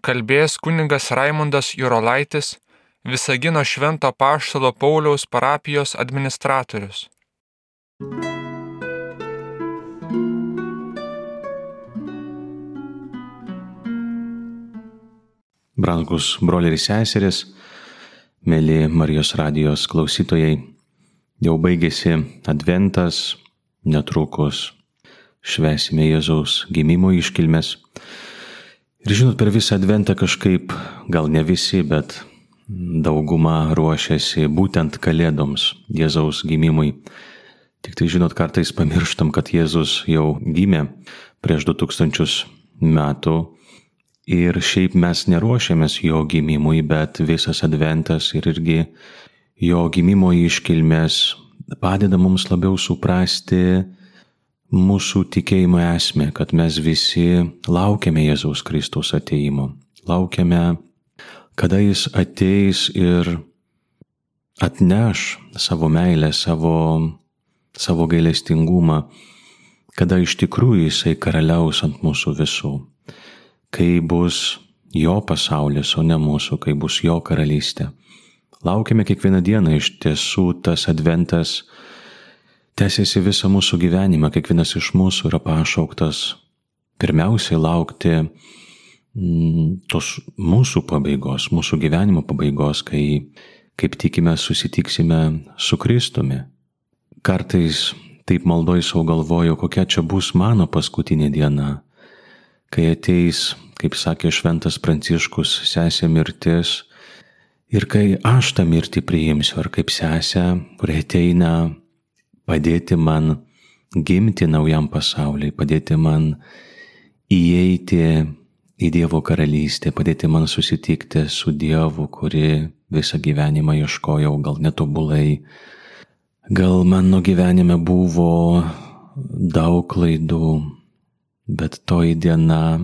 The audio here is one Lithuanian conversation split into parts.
kalbės kunigas Raimundas Jurolaitis, Visagino Švento Apaštalo Pauliaus parapijos administratorius. Brangus broliai ir seserys, mėly Marijos radijos klausytojai, jau baigėsi Adventas, netrukus švęsime Jėzaus gimimo iškilmes. Ir žinot, per visą Adventą kažkaip, gal ne visi, bet dauguma ruošiasi būtent Kalėdoms, Jėzaus gimimui. Tik tai žinot, kartais pamirštam, kad Jėzus jau gimė prieš 2000 metų. Ir šiaip mes neruošiamės jo gimimui, bet visas Adventas ir irgi jo gimimo iškilmės padeda mums labiau suprasti mūsų tikėjimo esmę, kad mes visi laukiame Jėzaus Kristaus atėjimo. Laukiame, kada jis ateis ir atneš savo meilę, savo gailestingumą, kada iš tikrųjų jisai karaliaus ant mūsų visų. Kai bus jo pasaulis, o ne mūsų, kai bus jo karalystė. Laukiame kiekvieną dieną, iš tiesų tas Adventas tęsiasi visą mūsų gyvenimą, kiekvienas iš mūsų yra pašauktas pirmiausiai laukti tos mūsų pabaigos, mūsų gyvenimo pabaigos, kai, kaip tikime, susitiksime su Kristumi. Kartais taip maldoj savo galvoju, kokia čia bus mano paskutinė diena, kai ateis, kaip sakė šventas Pranciškus, sesė mirtis, ir kai aš tą mirtį priimsiu, ar kaip sesė, kuri ateina padėti man gimti naujam pasauliui, padėti man įeiti į Dievo karalystę, padėti man susitikti su Dievu, kuri visą gyvenimą ieškojau, gal netobulai, gal mano gyvenime buvo daug klaidų, bet toji diena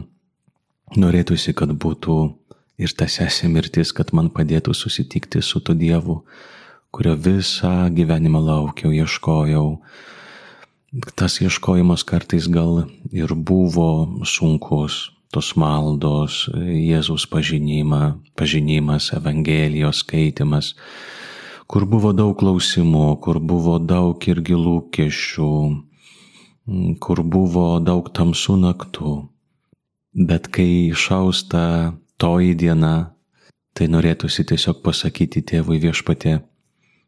norėtųsi, kad būtų ir ta sesė mirtis, kad man padėtų susitikti su tuo Dievu, kurio visą gyvenimą laukiau, ieškojau. Tas ieškojimas kartais gal ir buvo sunkus, tos maldos, Jėzaus pažinimas, Evangelijos skaitimas, kur buvo daug klausimų, kur buvo daug irgi lūkesčių, kur buvo daug tamsų naktų. Bet kai išausta toji diena, tai norėtųsi tiesiog pasakyti tėvui Viešpatie,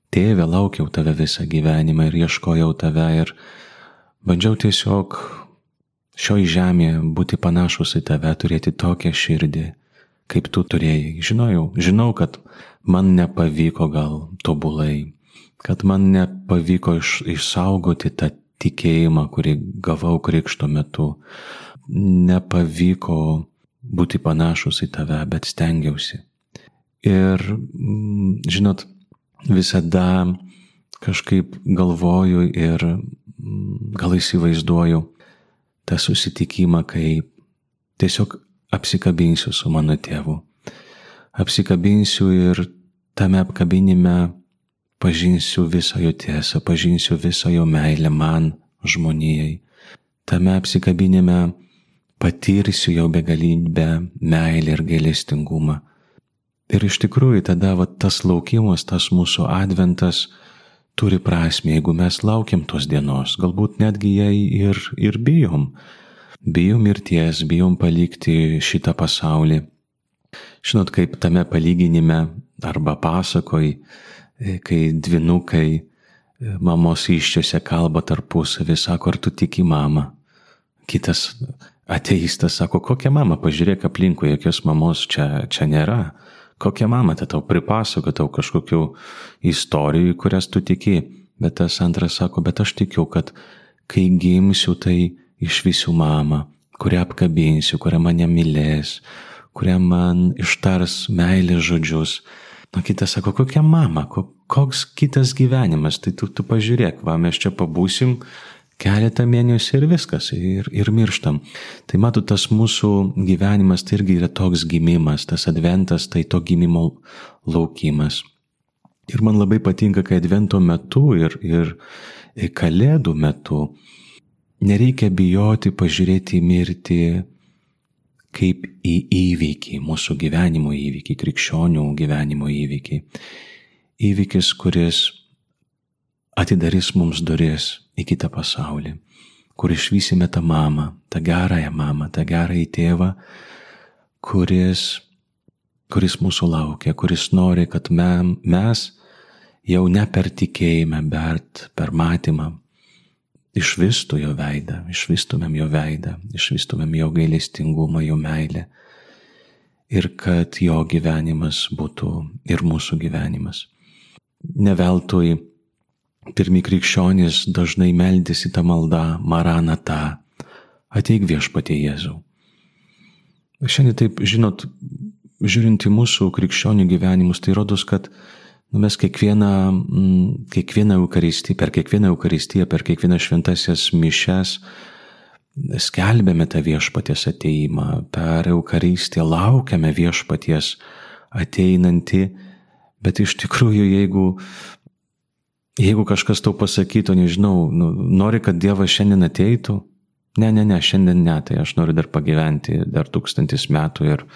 Tėve, laukiau tave visą gyvenimą ir ieškojau tave ir bandžiau tiesiog šioj žemėje būti panašus į tave, turėti tokią širdį, kaip tu turėjai. Žinau, kad man nepavyko gal tobulai, kad man nepavyko išsaugoti tą tikėjimą, kurį gavau krikšto metu. Nepavyko būti panašus į tave, bet stengiausi. Ir, žinot, visada kažkaip galvoju ir gal įsivaizduoju tą susitikimą, kai tiesiog apsikabinsiu su mano tėvu. Apsikabinsiu ir tame apkabinime pažinsiu visą jo tiesą, pažinsiu visą jo meilę man, žmonijai. Tame apsikabinime patirsiu jo begalybę, meilę ir gailestingumą. Ir iš tikrųjų tada tas laukimas, tas mūsų Adventas turi prasmę, jeigu mes laukiam tos dienos, galbūt netgi jai ir bijom. Bijom mirties, bijom palikti šitą pasaulį. Žinot, kaip tame palyginime arba pasakoj, kai dvynukai mamos įsčiose kalba tarpusavį, sako, ar tu tiki mamą? Kitas ateistas sako, kokia mama, pažiūrėk aplinkui, jokios mamos čia nėra. Kokia mama, tai tau pripasako, tau kažkokių istorijų, kurias tu tiki. Bet tas antras sako, bet aš tikiu, kad kai gimsiu, tai išvysiu mamą, kurią apkabinsiu, kurią mane mylės, kurią man ištars meilės žodžius. Na, kitas sako, kokia mama, koks kitas gyvenimas, tai tu pažiūrėk, mes čia pabūsim keletą mėnesių ir viskas, ir mirštam. Tai matot, tas mūsų gyvenimas tai irgi yra toks gimimas, tas Adventas tai to gimimo laukimas. Ir man labai patinka, kai Advento metu ir Kalėdų metu nereikia bijoti pažiūrėti į mirtį kaip į įvykį, mūsų gyvenimo įvykį, krikščionių gyvenimo įvykį. Įvykis, kuris atidarys mums duris į kitą pasaulį, kur išvysime tą mamą, tą gerąjį tėvą, kuris mūsų laukia, kuris nori, kad mes jau ne per tikėjimą, bet per matymą išvystumėm jo veidą, išvystumėm jo gailestingumą, jo meilę ir kad jo gyvenimas būtų ir mūsų gyvenimas. Ne veltui pirmi krikščionys dažnai meldėsi tą maldą Maranatha, ateik Viešpatie Jėzau. Šiandien taip, žinot, žiūrint į mūsų krikščionių gyvenimus, tai rodos, kad mes per kiekvieną Eucharistiją, per kiekvienas šventasias mišias skelbėme tą Viešpaties ateimą, per Eucharistiją laukiame Viešpaties ateinantį, bet iš tikrųjų, jeigu kažkas tau pasakytų, nežinau, nori, kad Dievas šiandien ateitų, ne, šiandien ne, tai aš noriu dar pagyventi dar 1000 metų ir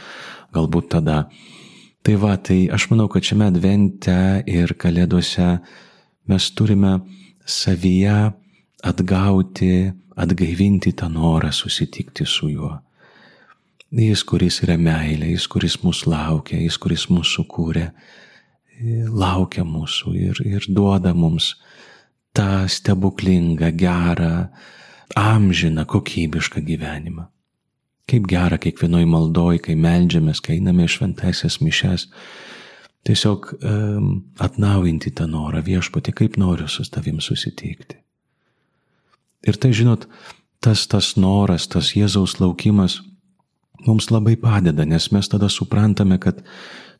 galbūt tada. Tai aš manau, kad šiame advente ir kalėdose mes turime savyje atgaivinti tą norą susitikti su juo. Jis, kuris yra meilė, jis, kuris mus laukia, jis, kuris mus sukūrė, laukia mūsų ir duoda mums tą stebuklingą, gerą, amžiną, kokybišką gyvenimą. Kaip gera kiekvienoj maldoj, kai meldžiamės, kai einame šventąsias mišias, tiesiog atnaujinti tą norą, Viešpatie, kaip noriu su tavim susitikti. Ir tai, žinot, tas noras, tas Jėzaus laukimas mums labai padeda, nes mes tada suprantame, kad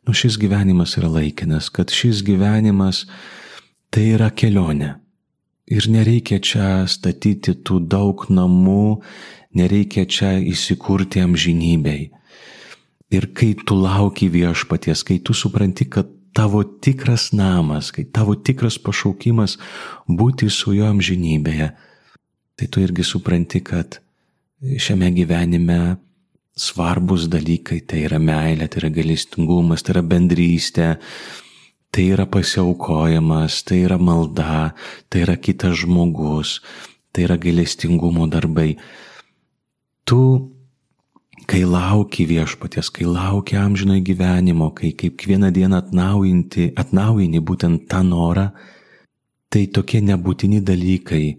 šis gyvenimas yra laikinas, kad šis gyvenimas tai yra kelionė. Ir nereikia čia statyti tų daug namų, nereikia čia įsikurti amžinybei. Ir kai tu lauki Viešpaties, kai tu supranti, kad tavo tikras namas, kai tavo tikras pašaukimas būti su juo amžinybėje, tai tu irgi supranti, kad šiame gyvenime svarbus dalykai, tai yra meilė, tai yra gailestingumas, tai yra bendrystė, tai yra pasiaukojimas, tai yra malda, tai yra kitas žmogus, tai yra gailestingumo darbai. Tu, kai lauki Viešpaties, kai lauki amžinojo gyvenimo, kai kiekvieną dieną atnaujini būtent tą norą, tai tokie nebūtini dalykai,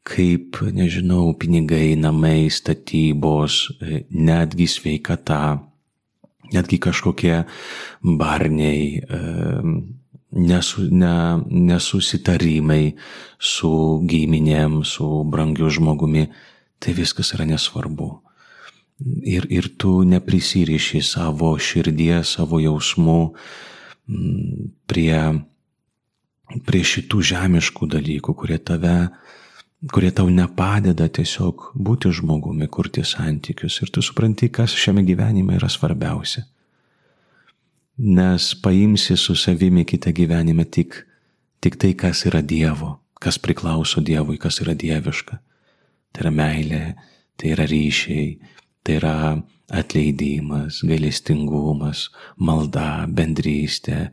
kaip, nežinau, pinigai, namai, statybos, netgi sveikata, netgi kažkokie barniai, nesusitarimai su giminėm, su brangiu žmogumi, tai viskas yra nesvarbu. Ir tu neprisiriši savo širdies, savo jausmų prie šitų žemiškų dalykų, kurie tau nepadeda tiesiog būti žmogumi, kurti santykius. Ir tu supranti, kas šiame gyvenime yra svarbiausia. Nes paimsi su savimi kitą gyvenimą tik tai, kas yra Dievo, kas priklauso Dievui, kas yra dieviška. Tai yra meilė, tai yra ryšiai, tai yra atleidimas, gailestingumas, malda, bendrystė.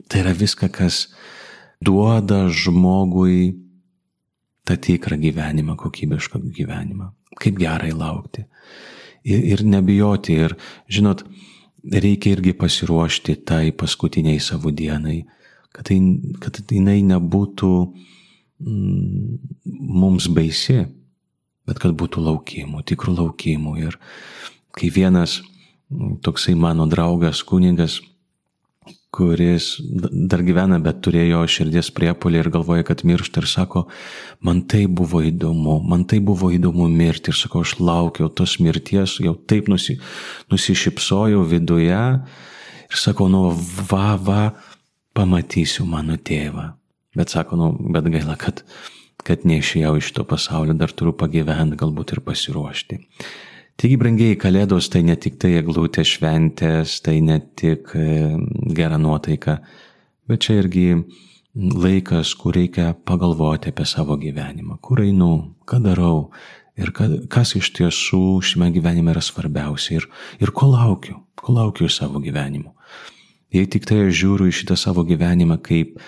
Tai yra viską, kas duoda žmogui tą tikrą gyvenimą, kokybišką gyvenimą. Kaip gerai laukti. Ir nebijoti. Ir, žinot, reikia irgi pasiruošti tai paskutiniai savo dienai, kad jinai nebūtų mums baisi, bet kad būtų laukimų, tikrų laukimų. Ir kai vienas toksai mano draugas, kunigas, kuris dar gyvena, bet turėjo širdies priepuolį ir galvoja, kad miršta, ir sako, man tai buvo įdomu mirti, ir sako, aš laukiau tos mirties, jau taip nusišypsojau viduje, ir sako, pamatysiu mano tėvą. Bet sako, bet gaila, kad neišėjau iš to pasaulio, dar turiu pagyventi, galbūt ir pasiruošti. Taigi, brangieji, kalėdos tai ne tik tai eglutės šventės, tai ne tik gera nuotaika, bet čia irgi laikas, kur reikia pagalvoti apie savo gyvenimą, kur einu, ką darau, ir kas iš tiesų šiame gyvenime yra svarbiausia ir ko laukiu iš savo gyvenimo. Jei tik tai aš žiūriu į šitą savo gyvenimą kaip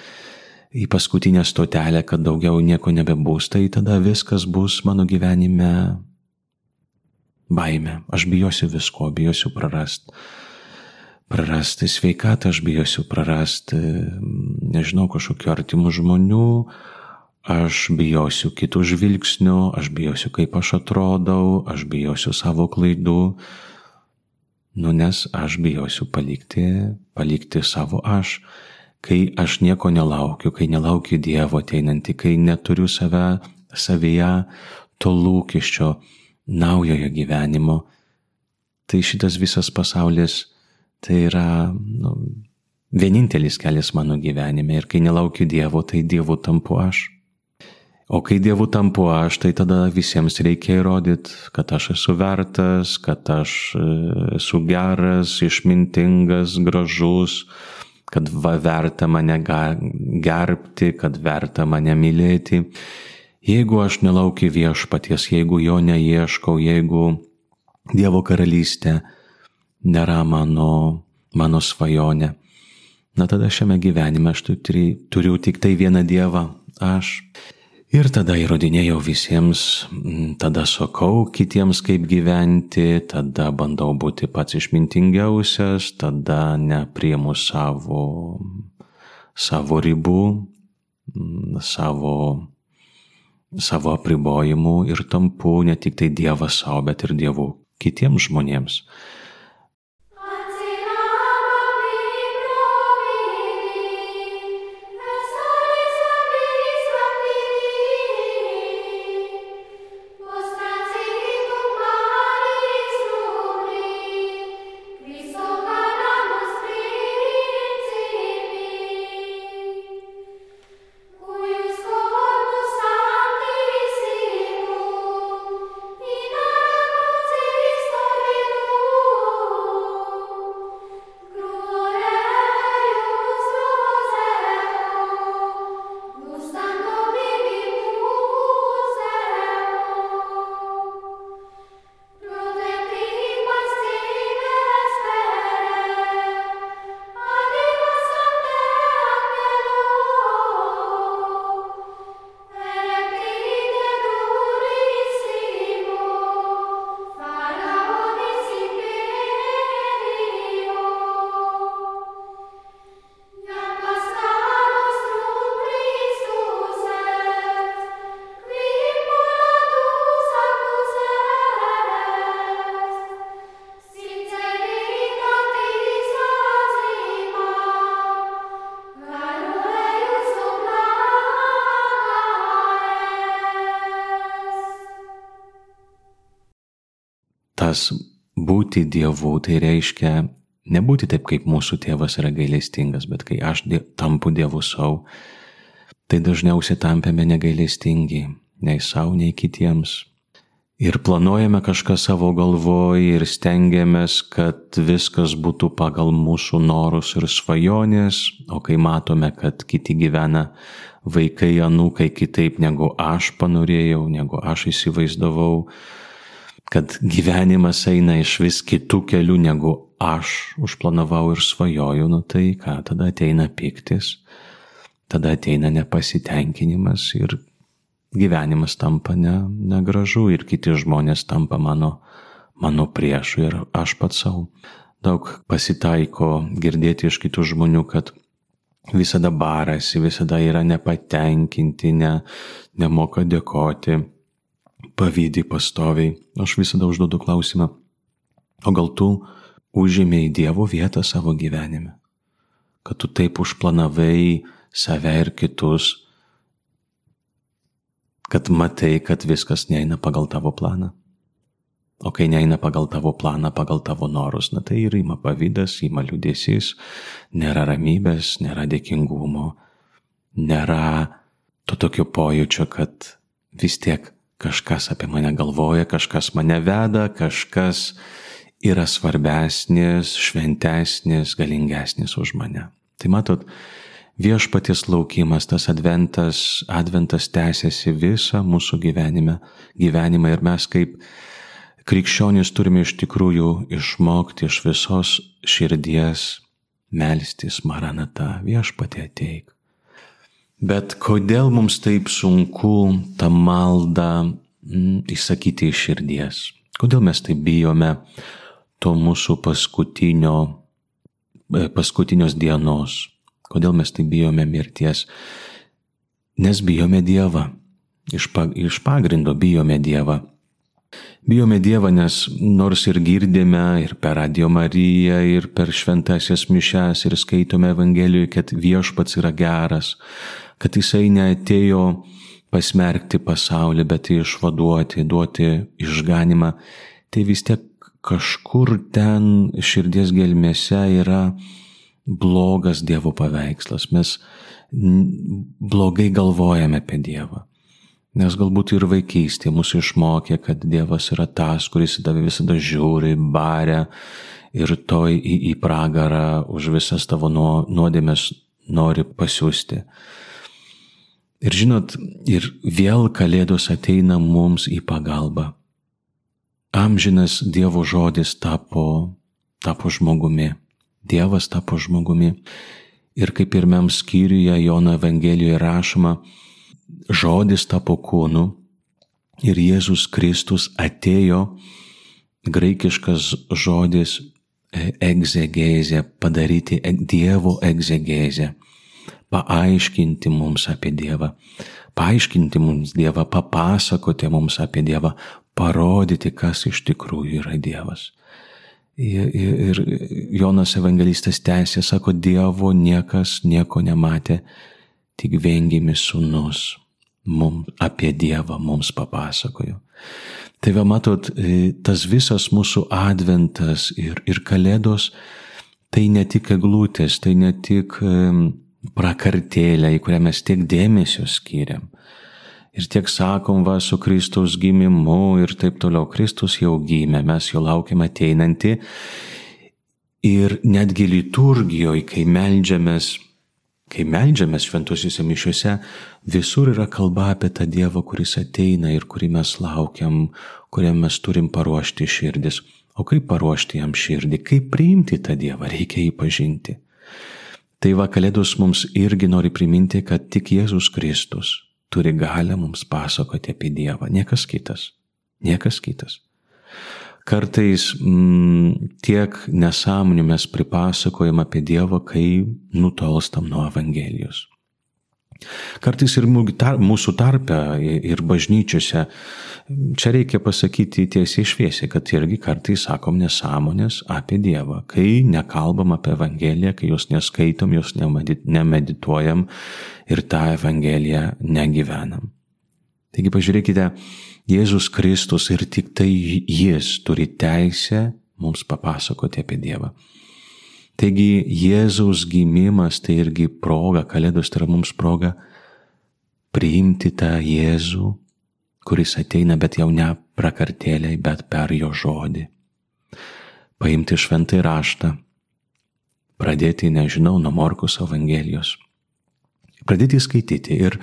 į paskutinę stotelę, kad daugiau nieko nebebus, tai tada viskas bus mano gyvenime baime. Aš bijosiu visko, bijosiu prarasti sveikatą, aš bijosiu prarasti, nežinau, kažkokių artimų žmonių, aš bijosiu kitų žvilgsnių, aš bijosiu, kaip aš atrodau, aš bijosiu savo klaidų, nes aš bijosiu palikti savo aš. Kai aš nieko nelaukiu, kai nelaukiu Dievo ateinantį, kai neturiu savyje to lūkesčio naujojo gyvenimo, tai šitas visas pasaulis tai yra vienintelis kelias mano gyvenime. Ir kai nelaukiu Dievo, tai Dievu tampu aš. O kai Dievu tampu aš, tai tada visiems reikia įrodyti, kad aš esu vertas, kad aš esu geras, išmintingas, gražus, kad verta mane gerbti, kad verta mane mylėti. Jeigu aš nelaukiu viešpaties, jeigu jo neieškau, jeigu Dievo karalystė nėra mano svajonė, tada šiame gyvenime aš turiu tik tai vieną Dievą, aš. Ir tada įrodinėjau visiems, tada sakau kitiems kaip gyventi, tada bandau būti pats išmintingiausias, tada nepriimu savo ribų, savo apribojimų ir tampu ne tik tai Dievas savo, bet ir Dievu kitiems žmonėms. Tas būti Dievu, tai reiškia nebūti taip, kaip mūsų tėvas yra gailestingas, bet kai aš tampu Dievu savo, tai dažniausiai tampame negailestingi, nei savo, nei kitiems. Ir planuojame kažką savo galvoje ir stengiamės, kad viskas būtų pagal mūsų norus ir svajonės, o kai matome, kad kiti gyvena, vaikai, anūkai kitaip negu aš panorėjau, negu aš įsivaizdavau, kad gyvenimas eina iš vis kitų kelių, negu aš užplanavau ir svajoju, tai ką, tada ateina pyktis, tada ateina nepasitenkinimas ir gyvenimas tampa negražu ir kiti žmonės tampa mano priešų ir aš pats savo. Daug pasitaiko girdėti iš kitų žmonių, kad visada barasi, visada yra nepatenkinti, nemoka dėkoti, pavydi pastoviai. Aš visada užduodu klausimą, o gal tu užėmei Dievo vietą savo gyvenime? Kad tu taip užplanavai save ir kitus, kad matai, kad viskas neina pagal tavo planą. O kai neina pagal tavo planą, pagal tavo norus, tai ir ima pavydas, ima liūdesys, nėra ramybės, nėra dėkingumo, nėra to tokio pojūčio, kad vis tiek kažkas apie mane galvoja, kažkas mane veda, kažkas yra svarbesnis, šventesnis, galingesnis už mane. Tai matot, viešpaties laukimas, tas adventas tęsiasi visą mūsų gyvenimą ir mes kaip krikščionys turime iš tikrųjų išmokti iš visos širdies melstis Maranata, viešpatie ateik. Bet kodėl mums taip sunku tą maldą įsakyti iš širdies? Kodėl mes taip bijome to mūsų paskutinios dienos? Kodėl mes taip bijome mirties? Nes bijome Dievą. Iš pagrindo bijome Dievą. Bijome Dievą, nes nors ir girdime ir per Radio Mariją, ir per šventąsias mišias, ir skaitome Evangelijoje, kad viešpats yra geras, kad jisai neatėjo pasmerkti pasaulį, bet išvaduoti, duoti išganimą, tai vis tiek kažkur ten širdies gelmėse yra blogas Dievo paveikslas. Mes blogai galvojame apie Dievą. Nes galbūt ir vaikystė mūsų išmokė, kad Dievas yra tas, kuris į tave visada žiūri, baria ir toj į pragarą už visas tavo nuodėmes nori pasiųsti. Ir žinot, ir vėl Kalėdos ateina mums į pagalbą. Amžinas Dievo žodis tapo žmogumi. Dievas tapo žmogumi. Ir kaip pirmam skyriuje Jono Evangelijoje rašoma, žodis tapo kūnu ir Jėzus Kristus atėjo, graikiškas žodis egzegezė, padaryti Dievo egzegezę, paaiškinti mums apie Dievą, papasakoti mums apie Dievą, parodyti, kas iš tikrųjų yra Dievas. Ir Jonas Evangelistas tęsė, sako, Dievo niekas nieko nematė, tik viengimis sūnus apie Dievą mums papasakojo. Tai va matot, tas visas mūsų adventas ir Kalėdos, tai ne tik eglutės, tai ne tik prakartėlė, į kurią mes tiek dėmesio skiriam. Ir tiek sakom, va, su Kristaus gimimu ir taip toliau. Kristus jau gimė, mes jo laukiam ateinantį. Ir netgi liturgijoje, kai meldžiamės šventosiuose mišiuose, visur yra kalba apie tą Dievą, kuris ateina ir kurį mes laukiam, kuriam mes turim paruošti širdis. O kaip paruošti jam širdį, kaip priimti tą Dievą, reikia jį pažinti. Tai va, Kalėdos mums irgi nori priminti, kad tik Jėzus Kristus turi galią mums pasakoti apie Dievą, niekas kitas. Kartais tiek nesąmonių mes pripasakojam apie Dievą, kai nutolstam nuo Evangelijos. Kartais ir mūsų tarpe ir bažnyčiose, čia reikia pasakyti tiesiai šviesiai, kad irgi kartais sakom nesąmonės apie Dievą, kai nekalbam apie Evangeliją, kai jos neskaitom, jos nemedituojam ir tą Evangeliją negyvenam. Taigi pažiūrėkite, Jėzus Kristus ir tik tai Jis turi teisę mums papasakoti apie Dievą. Taigi Jėzaus gimimas tai irgi proga, Kalėdos tai yra mums proga priimti tą Jėzų, kuris ateina, bet jau ne prakartėliai, bet per jo žodį. Paimti šventąjį raštą, pradėti, nuo Morkaus Evangelijos. Pradėti skaityti ir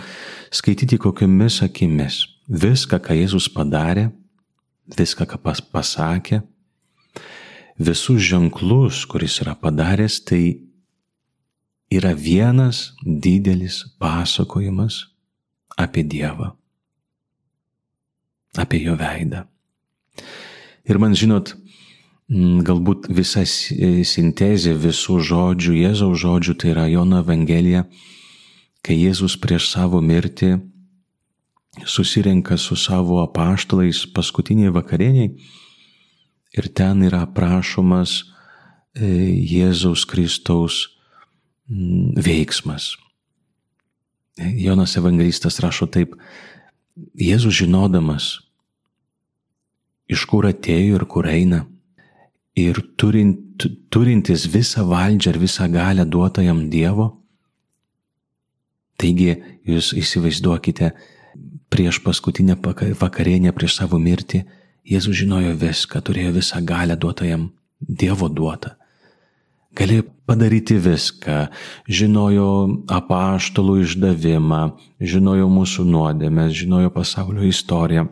skaityti kokiomis akimis. Viską, ką Jėzus padarė, viską, ką pasakė, visus ženklus, kuris yra padaręs, tai yra vienas didelis pasakojimas apie Dievą, apie jo veidą. Ir man, žinot, galbūt visa sintezė visų žodžių, Jėzaus žodžių, tai yra Jono Evangelija, kai Jėzus prieš savo mirtį susirenka su savo apaštalais paskutiniai vakarieniai ir ten yra aprašomas Jėzaus Kristaus veiksmas. Jonas Evangelistas rašo taip, Jėzus žinodamas, iš kur atėjo ir kur eina, ir turintis visą valdžią ir visą galią duotą jam Dievo, taigi jūs įsivaizduokite, prieš paskutinę vakarienę, prieš savo mirtį, Jėzus žinojo viską, turėjo visą galią duotą jam, Dievo duotą. galėjo padaryti viską, žinojo apaštalų išdavimą, žinojo mūsų nuodėmes, žinojo pasaulio istoriją.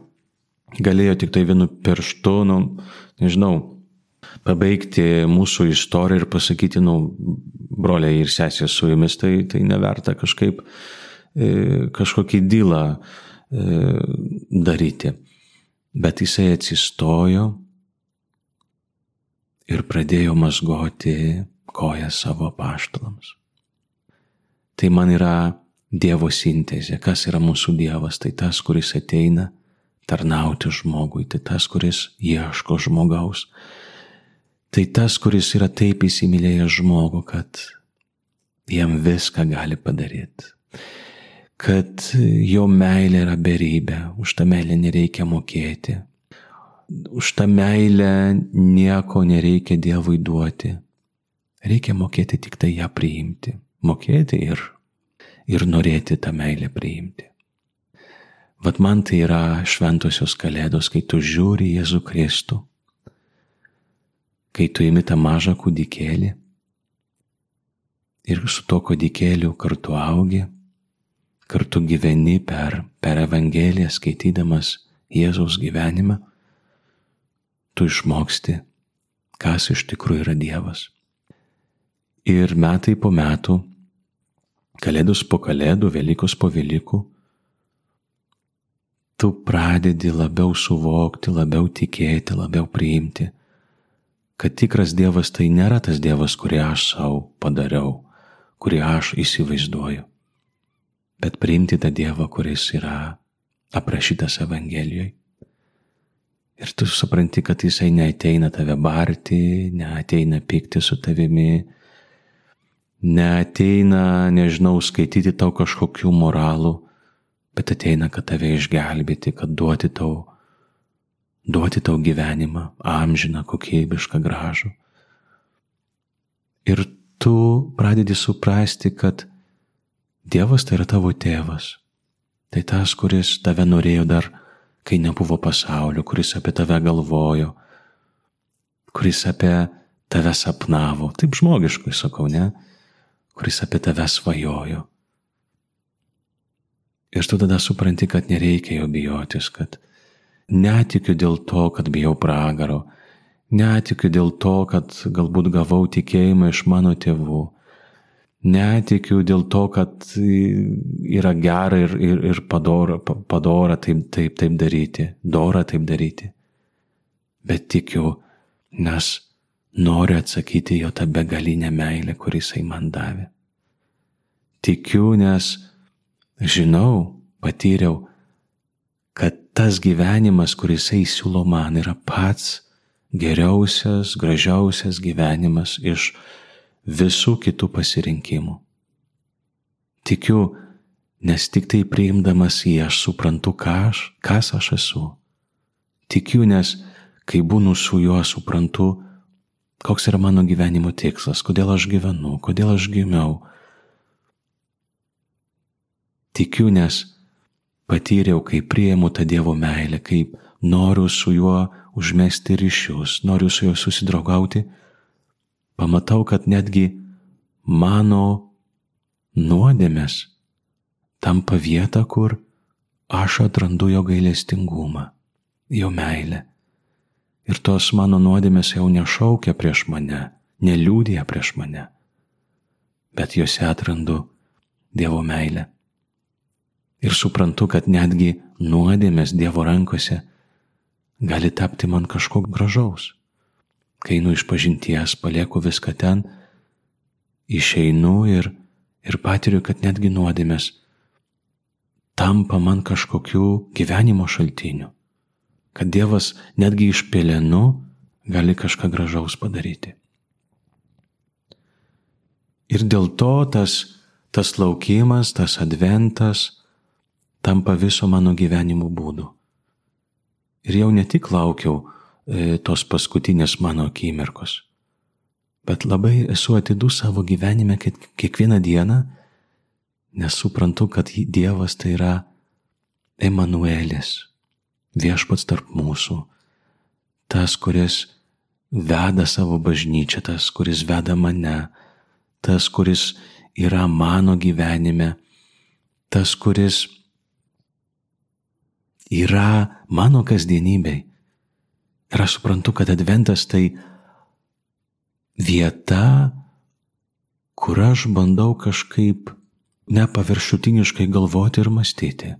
Galėjo tik tai vienu pirštu, pabaigti mūsų istoriją ir pasakyti, broliai ir sesės su jumis, tai neverta kažkokį dylą daryti. Bet jisai atsistojo ir pradėjo mazgoti kojas savo apaštalams. Tai man yra Dievo sintezė. Kas yra mūsų Dievas? Tai tas, kuris ateina tarnauti žmogui, tai tas, kuris ieško žmogaus. Tai tas, kuris yra taip įsimylėjęs žmogų, kad jam viską gali padaryti. Kad jo meilė yra beribė, už tą meilę nereikia mokėti. Už tą meilę nieko nereikia Dievui duoti. Reikia mokėti tik tai ją priimti. Mokėti ir norėti tą meilę priimti. Vat man tai yra šventosios kalėdos, kai tu žiūri Jėzų Kristų, kai tu imi tą mažą kūdikėlį ir su to kūdikėliu kartu augi, kartu gyveni per Evangeliją, skaitydamas Jėzaus gyvenimą, tu išmoksti, kas iš tikrųjų yra Dievas. Ir metai po metų, kalėdos po kalėdų, Velykos po Velykų, tu pradedi labiau suvokti, labiau tikėti, labiau priimti, kad tikras Dievas tai nėra tas Dievas, kurį aš savo padariau, kurį aš įsivaizduoju, bet priimti tą Dievą, kuris yra aprašytas Evangelijoje. Ir tu supranti, kad jisai neateina tave barti, neateina pykti su tavimi, neateina, skaityti tau kažkokių moralų, bet ateina, kad tave išgelbėti, kad duoti tau gyvenimą, amžiną, kokybišką, gražų. Ir tu pradedi suprasti, kad Dievas tai yra tavo tėvas. Tai tas, kuris tave norėjo dar, kai nebuvo pasaulio, kuris apie tave galvojo, kuris apie tave sapnavo. Taip žmogiškai sakau, ne? Kuris apie tave svajojo. Ir tu tada supranti, kad nereikia jo bijotis, kad netikiu dėl to, kad bijau pragaro, netikiu dėl to, kad galbūt gavau tikėjimą iš mano tėvų, netikiu dėl to, kad yra gera ir padora taip daryti, dora taip daryti, bet tikiu, nes noriu atsakyti jo tą begalinę meilę, kuris jisai man davė. Tikiu, nes žinau, patyriau, kad tas gyvenimas, kuris jisai siūlo man, yra pats geriausias, gražiausias gyvenimas iš visų kitų pasirinkimų. Tikiu, nes tik tai priimdamas jį aš suprantu, kas aš esu. Tikiu, nes kai būnu su juo suprantu, koks yra mano gyvenimo tikslas, kodėl aš gyvenu, kodėl aš gimiau. Tikiu, nes patyriau, kai priimu tą Dievo meilę, kaip noriu su juo užmesti ryšius, noriu su juo susidraugauti, pamatau, kad netgi mano nuodėmės tampa vieta, kur aš atrandu jo gailestingumą, jo meilę. Ir tos mano nuodėmės jau nešaukia prieš mane, neliūdija prieš mane, bet juose atrandu Dievo meilę. Ir suprantu, kad netgi nuodėmės Dievo rankose gali tapti man kažko gražaus. Kai einu iš pažinties, palieku viską ten, išeinu ir patiriu, kad netgi nuodėmės tampa man kažkokiu gyvenimo šaltiniu. Kad Dievas netgi iš pelenų gali kažką gražaus padaryti. Ir dėl to tas laukimas, tas adventas tampa viso mano gyvenimo būdu. Ir jau ne tik laukiau tos paskutinės mano akimirkos, bet labai esu atidus savo gyvenime kiekvieną dieną, nes suprantu, kad Dievas tai yra Emanuelis, viešpats tarp mūsų, tas, kuris veda savo bažnyčią, tas, kuris veda mane, tas, kuris yra mano gyvenime, tas, kuris yra mano kasdienybei. Ir aš suprantu, kad adventas tai vieta, kur aš bandau kažkaip nepaviršutiniškai galvoti ir mąstyti.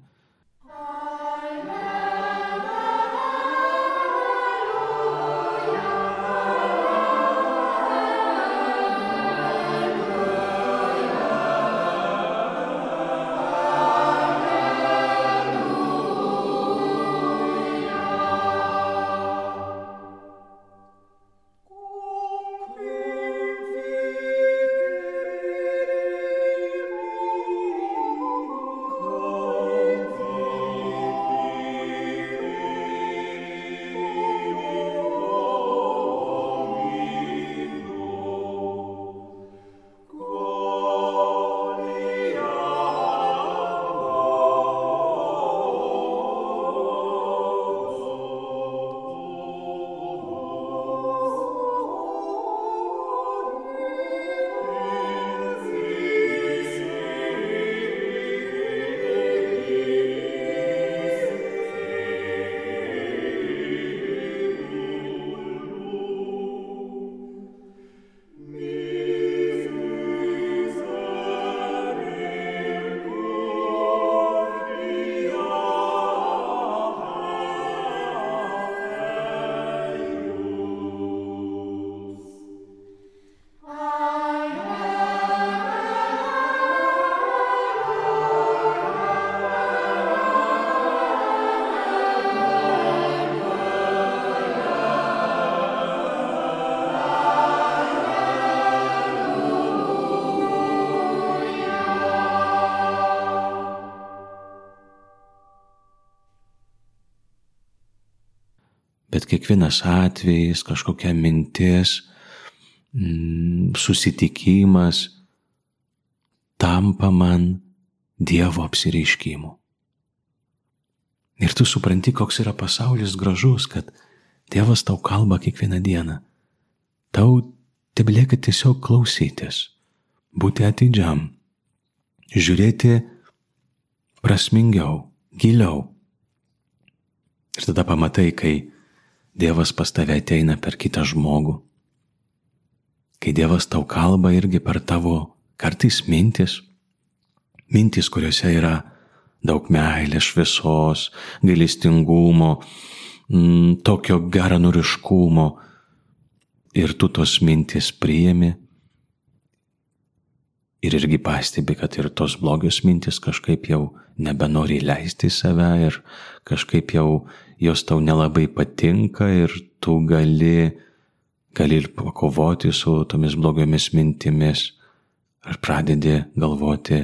Bet kiekvienas atvejis, kažkokia mintis, susitikimas tampa man Dievo apsireiškimu. Ir tu supranti, koks yra pasaulis gražus, kad Dievas tau kalba kiekvieną dieną. Tau tebelieka tiesiog klausytis, būti atidžiam, žiūrėti prasmingiau, giliau. Ir tada pamatai, kai Dievas pas tave ateina per kitą žmogų, kai Dievas tau kalba irgi per tavo kartais mintis, kuriuose yra daug meilės, šviesos, gailestingumo, tokio geranoriškumo, ir tu tos mintis priimi ir irgi pastebi, kad ir tos blogios mintis kažkaip jau nebenori leisti į save ir kažkaip jau jos tau nelabai patinka ir tu gali ir pakovoti su tomis blogiomis mintimis ir pradedi galvoti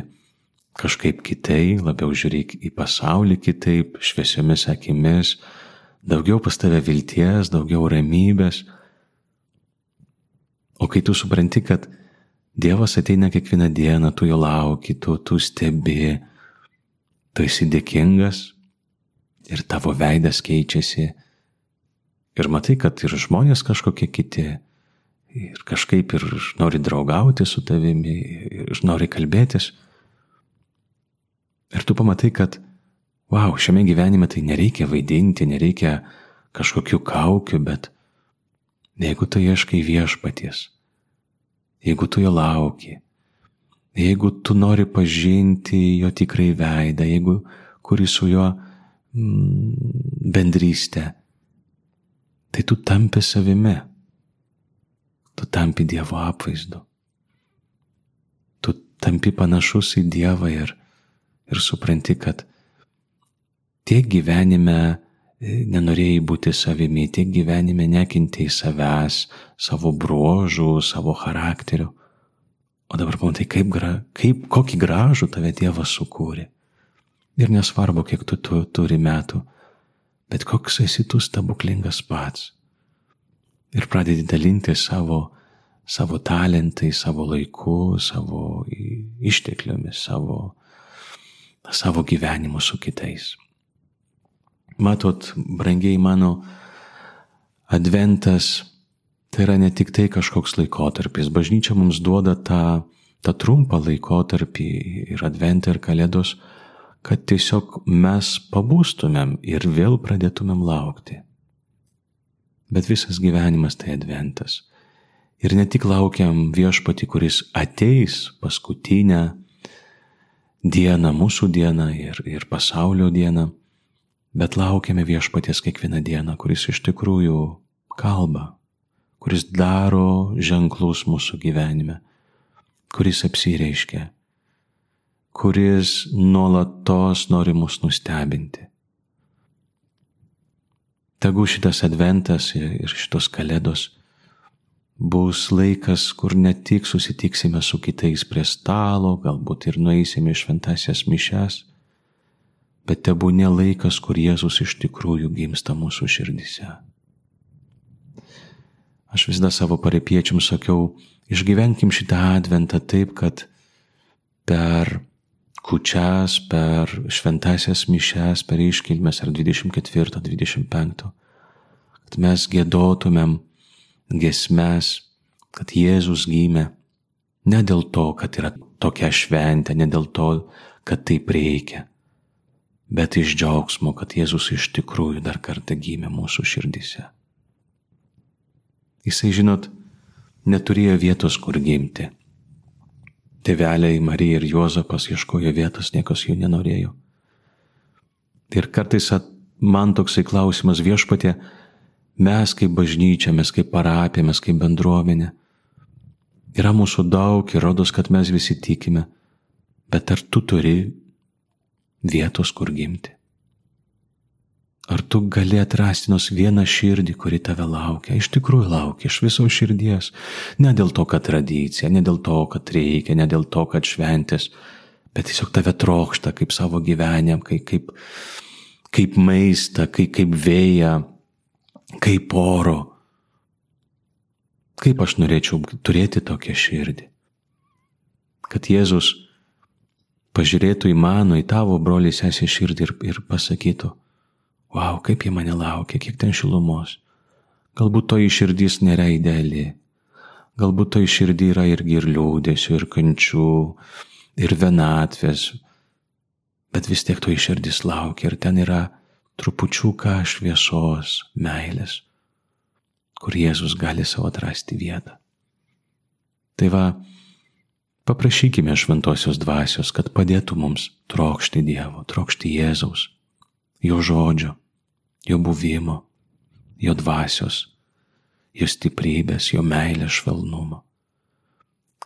kažkaip kitai, labiau žiūrėk į pasaulį kitaip, šviesiomis akimis, daugiau pas tave vilties, daugiau ramybės. O kai tu supranti, kad Dievas ateina kiekvieną dieną, tu jo lauki, tu stebi, tu esi dėkingas ir tavo veidas keičiasi. Ir matai, kad ir žmonės kažkokie kiti, ir kažkaip ir nori draugauti su tavimi, ir nori kalbėtis. Ir tu pamatai, kad, šiame gyvenime tai nereikia vaidinti, nereikia kažkokių kaukių, bet jeigu tu ieškai viešpaties, jeigu tu jo lauki, jeigu tu nori pažinti jo tikrai veidą, jeigu kuri su juo bendrystę, tai tu tampi savimi, tu tampi Dievo apvaizdu, tu tampi panašus į Dievą ir supranti, kad tiek gyvenime nenorėjai būti savimi, tiek gyvenime nekentėjai savęs, savo bruožų, savo charakterių. O dabar pamatai, kokį gražų tave Dievas sukūrė. Ir nesvarbu, kiek tu turi metų, bet koks esi tu stebuklingas pats. Ir pradedi dalinti savo talentai, savo laiku, savo ištekliomis, savo gyvenimu su kitais. Matot, brangiai mano, adventas Tai yra ne tik tai kažkoks laikotarpis. Bažnyčia mums duoda tą trumpą laikotarpį ir Adventą ir Kalėdos, kad tiesiog mes pabūstumėm ir vėl pradėtumėm laukti. Bet visas gyvenimas tai Adventas. Ir ne tik laukiam Viešpatį, kuris ateis paskutinę dieną, mūsų dieną ir pasaulio dieną, bet laukiame Viešpaties kiekvieną dieną, kuris iš tikrųjų kalba, kuris daro ženklus mūsų gyvenime, kuris apsireiškia, kuris nuolatos nori mus nustebinti. Tegu šitas Adventas ir šitos Kalėdos bus laikas, kur ne tik susitiksime su kitais prie stalo, galbūt ir nueisime į šventąsias mišias, bet tebūnie laikas, kur Jėzus iš tikrųjų gimsta mūsų širdise. Aš visada savo parapiečiam sakiau, išgyvenkim šitą Adventą taip, kad per kūčias, per šventąsias mišias, per iškilmes ar 24, 25, kad mes giedotumėm giesmes, kad Jėzus gimė ne dėl to, kad yra tokia šventė, ne dėl to, kad taip reikia, bet iš džiaugsmo, kad Jėzus iš tikrųjų dar kartą gimė mūsų širdise. Jisai, žinot, neturėjo vietos, kur gimti. Tėveliai Marija ir Juozapas ieškojo vietos, niekas jų nenorėjo. Ir kartais man toksai klausimas, Viešpatie, mes kaip bažnyčia, mes kaip parapija, mes kaip bendruomenė, yra mūsų daug ir rodos, kad mes visi tikime, bet ar tu turi vietos, kur gimti? Ar tu gali atrasti nors vieną širdį, kuri tave laukia, iš tikrųjų laukia, iš viso širdies, ne dėl to, kad tradicija, ne dėl to, kad reikia, ne dėl to, kad šventės, bet tiesiog tave trokšta kaip savo gyvenimą, kaip maistą, kaip vėją, kaip oro. Kaip aš norėčiau turėti tokią širdį, kad Jėzus pažiūrėtų į mano, į tavo brolį sesę širdį ir pasakytų, vau, kaip jie mane laukia, kiek ten šilumos. Galbūt toji širdis nėra ideali, galbūt toji širdį yra irgi ir liūdėsių, ir kančių, ir vienatvės, bet vis tiek toji širdis laukia ir ten yra trupučiuką šviesos, meilės, kur Jėzus gali savo atrasti vietą. Tai va, paprašykime šventosios dvasios, kad padėtų mums trokšti Dievo, trokšti Jėzaus, jo žodžio, jo buvimo, jo dvasios, jo stiprybės, jo meilės švelnumo.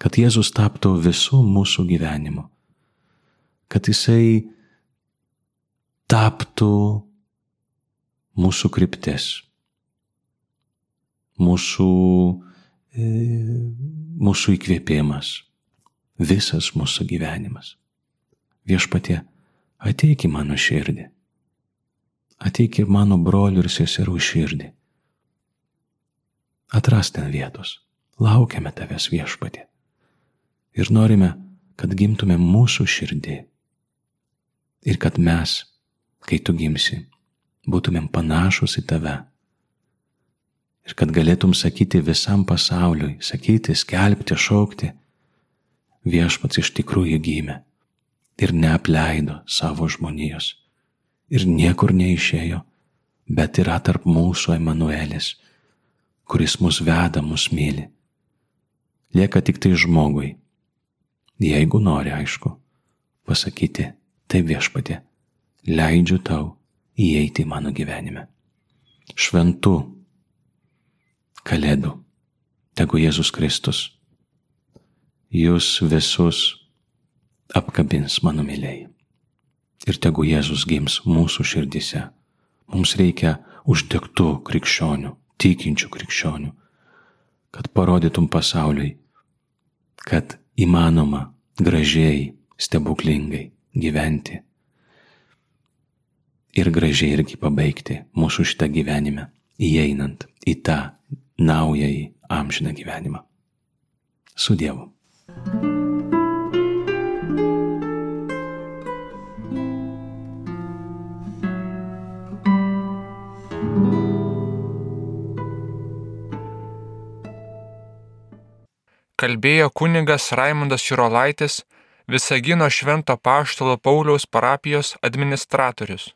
Kad Jėzus taptų visų mūsų gyvenimu, kad Jisai taptų mūsų kryptis, mūsų įkvėpimas, visas mūsų gyvenimas. Viešpatie, ateik į mano širdį, ateik ir mano brolių ir seserų širdį. Atras ten vietos, laukiame tavęs, Viešpatie, ir norime, kad gimtume mūsų širdį ir kad mes, kai tu gimsi, būtumėm panašus į tave. Ir kad galėtum sakyti visam pasauliui, sakyti, skelbti, šaukti, Viešpats iš tikrųjų gimė ir neapleido savo žmonijos ir niekur neišėjo, bet yra tarp mūsų Emanuelis, kuris mus veda, mus myli. Lieka tik tai žmogui, jeigu nori, aišku, pasakyti, taip, Viešpatie, leidžiu tau įeiti į mano gyvenime. Šventų Kalėdų, tegu Jėzus Kristus jūs visus apkabins, mano mylėjai. Ir tegu Jėzus gims mūsų širdise. Mums reikia uždegtų krikščionių, tikinčių krikščionių, kad parodytum pasauliui, kad įmanoma gražiai, stebuklingai gyventi ir gražiai irgi pabaigti mūsų šitą gyvenimą, įeinant į tą naująjį amžiną gyvenimą. Su Dievu. kalbėjo kunigas Raimondas Jurolaitis, Visagino Švento Apaštalo Pauliaus parapijos administratorius.